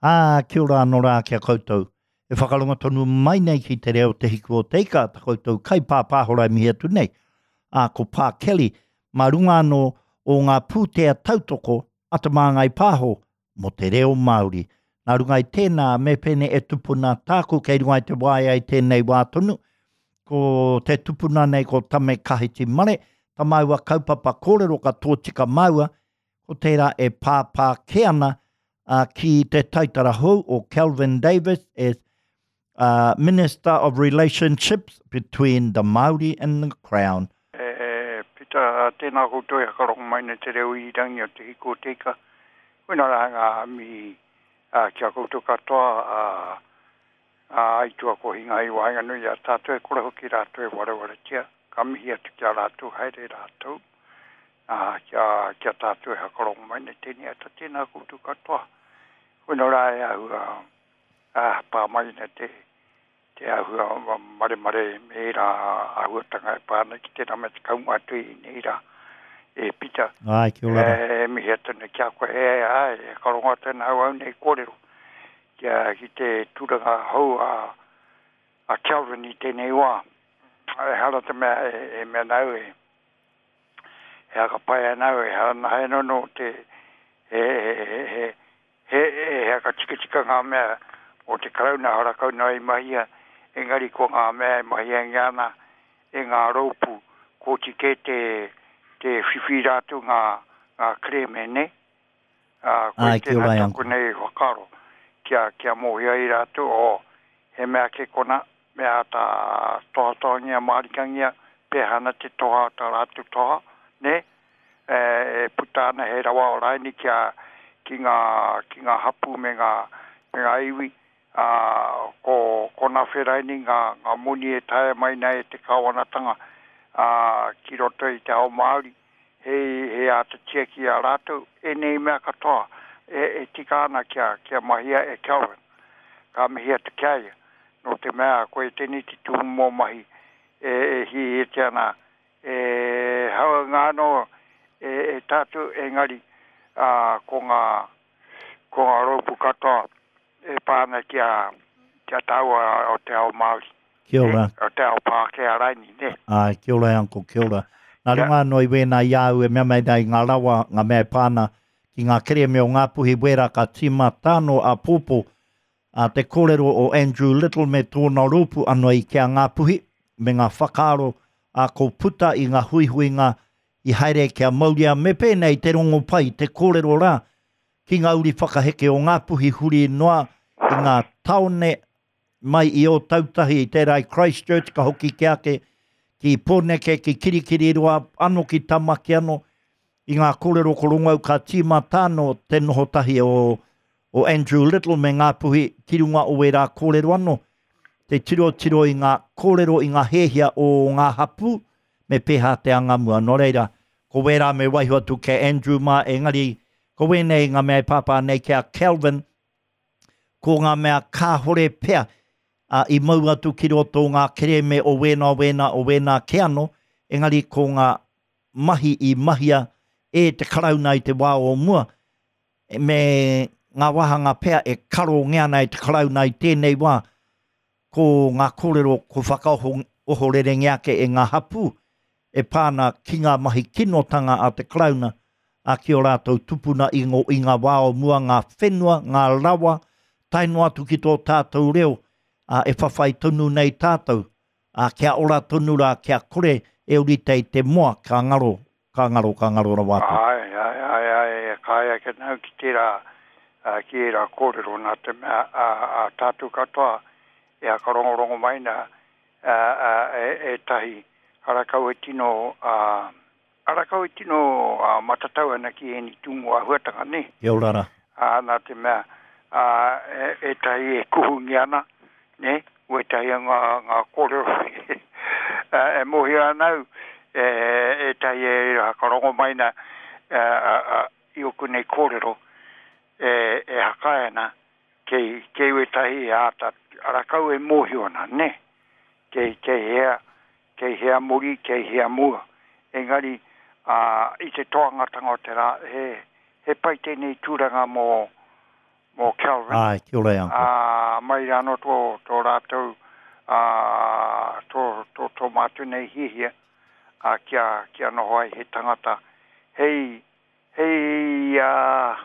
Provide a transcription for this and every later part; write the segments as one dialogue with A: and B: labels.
A: Ā, kia ora anō rā ki a koutou. E whakarongo tonu mai nei ki te reo Te Hiku o Te Ika, ta koutou kaipāpāhora e mihi atu nei. Ā, ko Pā Kelly, mā runga anō o ngā pūtea tautoko a Te Māngai Pāho mō te reo Māori. Nā runga i tēnā, me pēnei e tupuna tāku kei runga i te waea i tēnei wā tonu, ko te tupuna nei ko Tame Kahiti Mare, ta māua kaupapa kōrero ka tōtika māua, ko tērā e pāpā kē ana ki te taitara hou o Kelvin Davis as uh, Minister of Relationships between the Māori and the Crown.
B: E Pita, tēnā koutou e whakarongo mai nei te reo irirangi o Te Hiku o Te Ika. Koina rā ngā mihi ki a koutou katoa, ā, aitua kohinga i waenganui i a tātou, e kore hoki rātou e warewaretia. Ka mihi atu ki a rātou, haere rātou, ā, kia, kia tātou e whakarongo mai nei tēnei ata, tēnā koutou katoa. Koina rā e āhua, ā, pā mai ana te, te āhua maremare me ērā āhuatanga e pā ana ki tērā mea te kaumātua i ēnei rā. E Pita,
A: Āe, kia ora
B: rā. E mihi atu nei ki a koe, e, āe, e whakarongo atu ana au au nei kōrero kia, ki te tūranga hou a, a Kelvin i tēnei wā. Ehara te mea e, e mea nāu e, e hakapae ana au, ehara nā he nono te, he, he, he, he, he, he hakatikatika ngā mea o te Karauna harakau noa i mahia, engari ko ngā mea e mahiangia ana e ngā rōpū kōti kē te, te whiwhi rātou ngā, ngā kerēme, nē? Ā, koe
A: Āe, kia
B: tēnā
A: ora e
B: taku
A: Uncle.
B: nei whakaaro, kia, kia mōhio ai rātou, oh, he mea kē konā, me āta tohatohangia mārikangia, pēhea ana te toha o tā rātou toha, nē? E, e puta ana he rawa o raini kia, ki ngā, ki ngā hapū me ngā, me ngā iwi, ā, ko, ko Nawhe raini ngā, ngā moni e taea mai nei e te kāwanatanga, ā, ki roto i te ao Māori. He, he āta tiaki i a rātou, ēnei mea katoa e, e tika ana kia, kia mahia e Kelvin. Ka mihi atu ki a ia, nō te mea koe tēnei te tūmomo mahi e, e hiahiatia ana e hauanga anō e, e tātou, engari, ā, ko ngā, ko ngā rōpū katoa e pā ana ki a, ki a tāua o te ao Māori.
A: Kia ora.
B: O te ao Pākehā raini, nē?
A: Āe, kia ora e Uncle, kia ora. Nā runga anō i wēnā i a au e mea mai nei ngā rawa, ngā mea e pā ana ki ngā kerēme o Ngāpuhi wērā ka tīmata anō āpōpō a te kōrero o Andrew Little me tōna rōpū anō i ki a Ngāpuhi me ngā whakaaro a ko puta i ngā huihuinga i haere kia mauria me pēnei te rongopai, te kōrero rā ki ngā uri whakaheke o Ngāpuhi huri noa i ngā taone mai i Ōtautahi i tērā i Christchurch ka hoki ke ake ki Pōneke, ki Kirikiriroa, ano ki Tamaki ano, i ngā kōrero ko Rongau ka tīmata ano te noho tahi o, o Andrew Little me Ngāpuhi ki runga o wērā kōrero ano, te tirotiro i ngā kōrero i ngā hēhia o ngā hapū me pēhā te anga mua. Nō reira, ko wērā me waiho atu ki a Andrew mā, engari ko wēnei ngā mea e pāpā nei ki a Kelvin, ko ngā mea kāhore pea a, i mau atu ki roto o ngā kerēme o wēnā, o wēnā, o wēnā kē anō, engari ko ngā mahi i mahia e te Karauna i te wā o mua, me ngā wāhanga pea e karongia ana e te Karauna i tēnei wā, ko ngā kōrero ko whakaohorerengia ake e ngā hapū e pā ana ki ngā mahi kinotanga a te Karauna, ā, ki ō rātou tupuna i ngō i ngā wā o mua, ngā whenua, ngā rawa, tae noa atu ki tō tātou reo, ā, e whawhai tonu nei tātou, ā, kia ora tonu rā, kia kore e urite i te moa, ka ngaro, ka ngaro, ka ngaro rawa atu.
B: Āe, āe, āe, āe, e kae ake nāu ki tērā, ā, ki ērā kōrero, nā te mea, ā, ā, tātou katoa e whakarongorongo mai nā, ā, ā, e, ētahi harakau e tino, ā, harakau e tino, ā, matatau ana ki ēnei tūmomo āhuatanga, nē?
A: Kia ora rā.
B: Ā, nā te mea, ā, e, ētahi e kuhungia ana, nē, wētahi o ngā, ngā kōrero e mōhio ana au, e, ētahi e whakarongo mai na, ā, ā, i ōku nei kōrero, e, e hakae ana, kei, kei wētahi e āta arakau e mōhio ana, nē, kei, kei hea, kei hea muri, kei hea mua. Engari, ā, i te toangatanga o te rā, he, he pai tēnei tūranga mō, mō Kelvin. Kelvin.
A: Āe, kia ora e Uncle.
B: Ā, mai rā anō tō, tō rātou, ā, tō, tō, tō mātou nei hiahia, ā, kia, kia noho ai he tangata hei, hei, ā,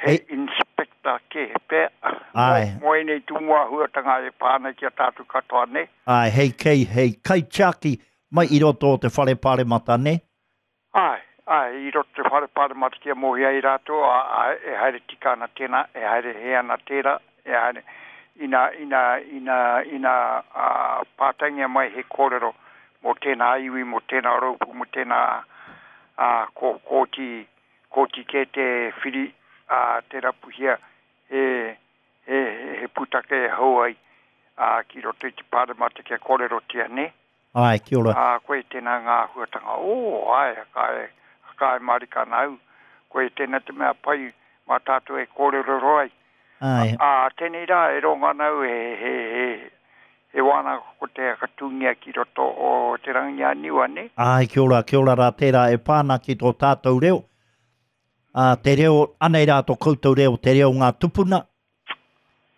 B: hei inspector kē pea,
A: Āe.
B: mō, mō ēnei tū āhuatanga e pā ana ki a tātou katoa, nē?
A: Āe, hei kei, hei kaitiaki mai i roto o te Whare Pāremata, nē?
B: Āe, āe, i roto te Whare Pāremata kia mōhio ai rātou, ā, ā, e haere tika ana tēnā, e haere hē ana tērā, e haere, ina, ina, ina, ina, ā, pātaingia mai he kōrero mō tēnā iwi, mō tēnā rōpū, mō tēnā, ā, ko, kōti, kōti kē te whiri, ā, te rapuhia he, he, he pūtake e hou ai, ā, ki roto i te Pāremata kia kōrerotia, nē?
A: Āe, kia ora.
B: Ā, koe tēnā ngā āhuatanga, ō, āe, ka ka e mārika ana au, koe tēnā te mea pai mā tātou e kōrerorero ai.
A: Āe.
B: Ā, tēnei rā e rongo ana au he, he, he, he wānanga ko te whakatūngia ki roto o Te Rangiāniua, nē?
A: Āe, kia ora, kia ora rā tērā e pā ana ki tō tātou reo. Ā, te reo, anei rā tō koutou reo, te reo ngā tupuna,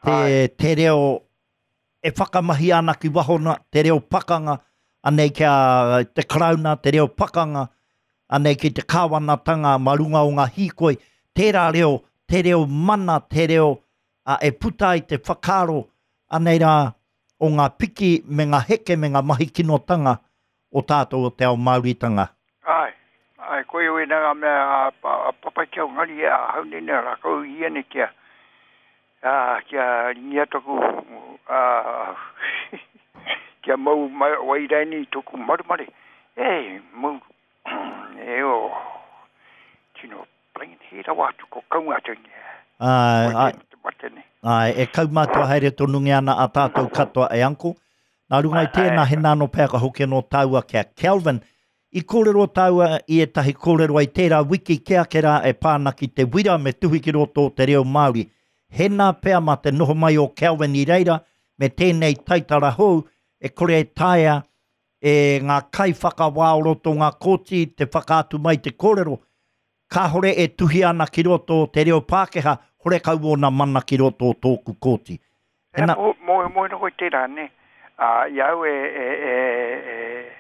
A: te, te reo e whakamahia ana ki waho na, te reo pakanga, anei ki a te Karauna, te reo pakanga, anei ki te kāwanatanga ma runga o ngā hīkoi, tērā reo, te reo mana, te reo a, e puta ai te whakaaro, anei rā, o ngā piki me ngā heke me ngā mahi kinotanga o tātou o te ao Māoritanga.
B: Āe, āe, koia wēnā ngā mea a, a, a Papa ki au ngari e ahau nei nā rākau i ene kia, Ā, kia ringia toku, ā, kia mau wai raini toku maremare. E, mau, e o, tino plain he rawa atu ko kaumātua nei.
A: Āe,
B: āe. Te mate nei.
A: Āe, e kaumātua haere tonungia ana a tātou katoa e Uncle. Nā runga i tēnā, hena anō pea ka hoki anō tāua ki a Kelvin. I kōrero tāua i ētahi kōrero i tērā wiki kē ake rā e pā ana ki te wira me tuhi ki roto o te reo Māori. Hēnā pea mā te noho mai o Kelvin i reira me tēnei taitara hou e kore e taea e ngā kaiwhakawā o roto o ngā kōti te whakaatu mai te kōrero kāore e tuhia ana ki roto o te reo Pākehā, horekau ōna mana ki roto o tōku kōti.
B: Ea, mō, mō, mōhio koe tērā, nē? Ā, i a au e, e, e, e,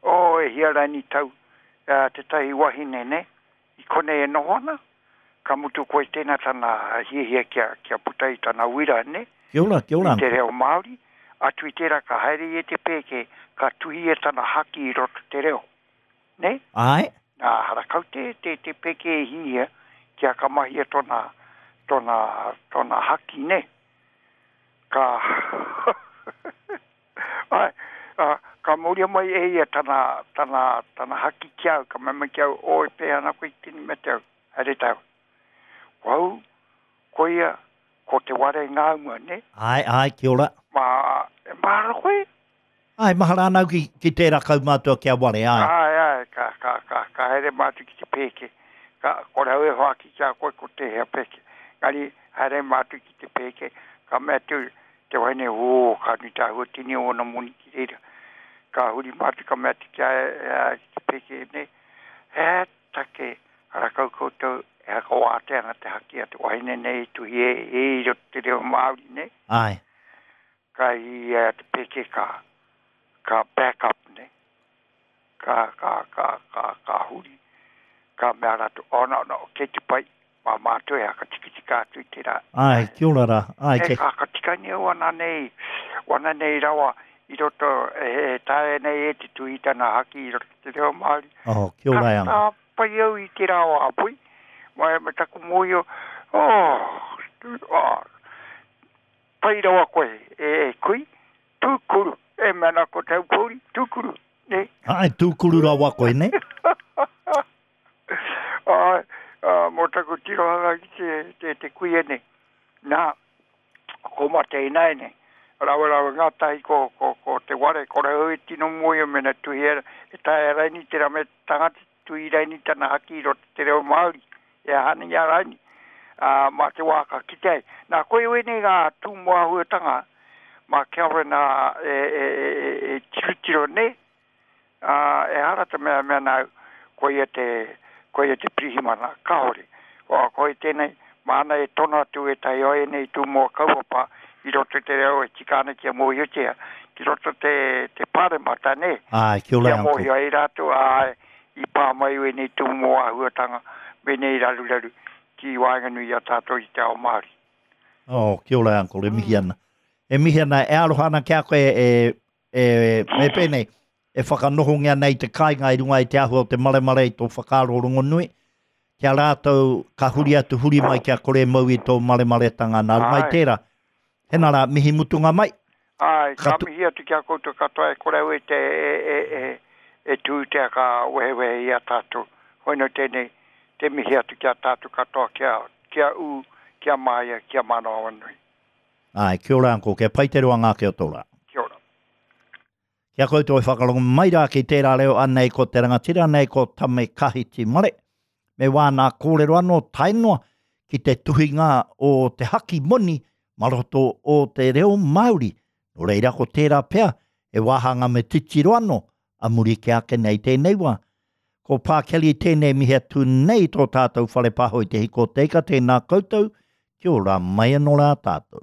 B: oh, e hia raini tau, ā, tētahi wahine, nē, i konei e noho ana, ka mutu koe tēnā tana hiahia kia, kia puta i tana uira, nē?
A: Kia ora, kia ora.
B: I te reo Māori, atu i tērā ka haere ia te pēke, ka tuhia tana haki i roto te reo. Nē?
A: Āe.
B: Nā, harakau te, te, te peke e hīhia kia ka mahia tōna, tōna, tōna haki, nē? Ka, āe, ā, ka mauria mai e ia tana, tana, tana haki ki a au, ka mea mai ki a au, Oh, e pēhea ana koe i tēnei mea te au, haere tāua. Ko au, ko ia, ko Te Ware Ngāuma, nē?
A: Āe, āe, kia ora.
B: Mā, e mahara koe?
A: Āe, mahara ana au ki, ki tērā kaumātua ki a Ware, āe.
B: Āe, āe, ka, ka, ka, ka haere mātou ki te pēke. Ka, kore au e hoaki ki a koe ko tēhea pēke. Engari, haere mātou ki te pēke, ka mea atu te wahine, ō, ka nui te āhua tini o ōna moni ki reira. Ka huri mātou, ka mea atu ki a ia, ki te pēke, nē, he aha take rakau koutou e hakawātea ana te haki a te wahine nei e tuhi e, e i roto te reo Māori, nē?
A: Āe.
B: Ka i a te peke ka, ka back up ne. Ka, ka, ka, ka, ka huri. Ka mea ratou, oh no, no, kei te pai, ma matou e hakatikatika atu i tera.
A: Ae, kia ora ra. Ae,
B: kei. E ka hakatikangia wana nei, wana nei rawa i roto, e, e taea nei e te tuhi tana haki i roto te reo Maori.
A: Oh, kia ora e ana.
B: Ka pai au i tera o Apui, me, me taku mohio, oh, oh, Pai rawa koe, e kui, tūkuru, e mea ana ko te aupōuri, tūkuru, nē?
A: Āe, tūkuru rawa koe, nē?
B: Āe, mō taku tirohanga ki te, te, te kuia nei. Nā, ko mate ināianei, rawe rawe ngātahi ko, ko, ko te ware, kore au e tino mōhio mēnā tuhia, e taea raini tērā mea te tangata Tui raini tana haki i roto te reo Māori, e aha ana i a raini, ā, mā te wā ka kite ai. Nā, koia wēnei ngā tūmomo āhuatanga mā Kelvin ā, e, e, e, e, e tirotiro nei, ā, ehara te mea mea nāu, koia te, koia te pirihimana, kāore. Ko, koia tēnei, Māna e tono atu ētahi o ēnei tūmoa kaupapa i roto i te reo e tika ana kia mōhiotia ki roto te, te pāremata, nē?
A: Āe, kia ora
B: Kia mōhio ai rātou, āe, i pā mai wēnei tūmoa āhuatanga, wēnei raruraru ki waenganui i a tātou i te ao Māori.
A: Oh, kia ora, Uncle, e mihi ana. E mihi ana, e aroha ana ki a koe e, e, me pēnei, e whakanohongia nei te kāinga i runga i te āhua o te maremare i tō whakaaro rongonui, ki a rātou ka huri atu huri mai kia kore e mau i tō maremaretanga nā runga i tērā. Hena rā, mihi mutunga mai.
B: Āe, ka mihi atu ki a koutou katoa e kore au e te e, e, e, e tū te ka wehewehe i a tātou. Hoino tēnei, te mihi atu ki a tātou katoa kia, kia ū, kia māia, kia manawanui.
A: Āe, kia ora Uncle, kia pai te roanga ake o tō rā.
B: Kia ora.
A: Ki a koutou e whakarongo mai rā ki tērā reo anei ko te rangatira nei ko Tame Kahiti Mare, me wāna kōrero anō tae noa ki te tuhinga o te haki moni ma roto o te reo Māori. Nō reira ko tērā pea he wāhanga me titiro anō a muri kē ake nei tēnei wā. Ko Pā Kelly tēnei mihi atu nei tō tātou whare pāho i te hiko o te ika tēnā koutou, kia ora mai anō rā tātou.